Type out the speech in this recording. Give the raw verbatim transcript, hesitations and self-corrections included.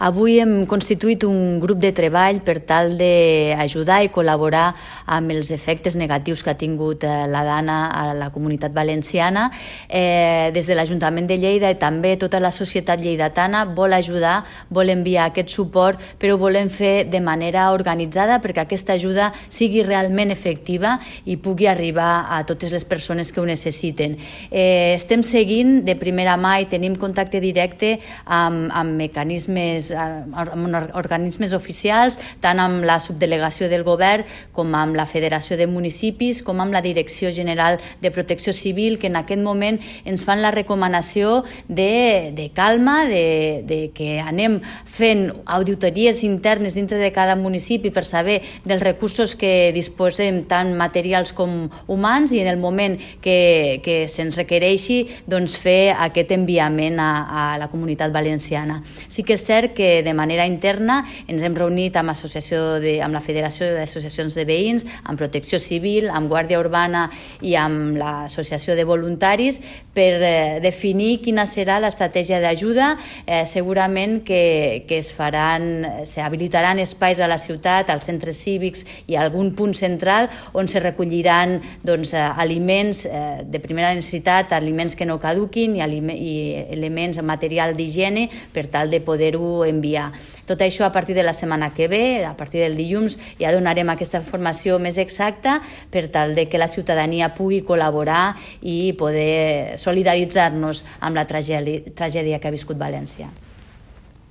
Avui hem constituït un grup de treball per tal d'ajudar i col·laborar amb els efectes negatius que ha tingut la Dana a la comunitat valenciana. Eh, des de l'Ajuntament de Lleida i també tota la societat lleidatana vol ajudar, vol enviar aquest suport, però ho volem fer de manera organitzada perquè aquesta ajuda sigui realment efectiva i pugui arribar a totes les persones que ho necessiten. Eh, estem seguint de primera mà i tenim contacte directe amb, amb mecanismes amb organismes oficials, tant amb la subdelegació del govern com amb la Federació de Municipis, com amb la Direcció General de Protecció Civil, que en aquest moment ens fan la recomanació de, de calma, de, de que anem fent auditories internes dintre de cada municipi per saber dels recursos que disposem, tant materials com humans, i en el moment que, que se'ns requereixi, doncs fer aquest enviament a, a la comunitat valenciana. Sí que és cert que que de manera interna ens hem reunit amb, associació de, amb la Federació d'Associacions de Veïns, amb Protecció Civil, amb Guàrdia Urbana i amb l'Associació de Voluntaris per eh, definir quina serà l'estratègia d'ajuda. Eh, segurament que, que es faran, s'habilitaran espais a la ciutat, als centres cívics i a algun punt central on se recolliran doncs, aliments eh, de primera necessitat, aliments que no caduquin i, i elements, material d'higiene per tal de poder-ho enviar. Tot això a partir de la setmana que ve, a partir del dilluns, ja donarem aquesta informació més exacta per tal de que la ciutadania pugui col·laborar i poder solidaritzar-nos amb la tragèdia, tragèdia que ha viscut València.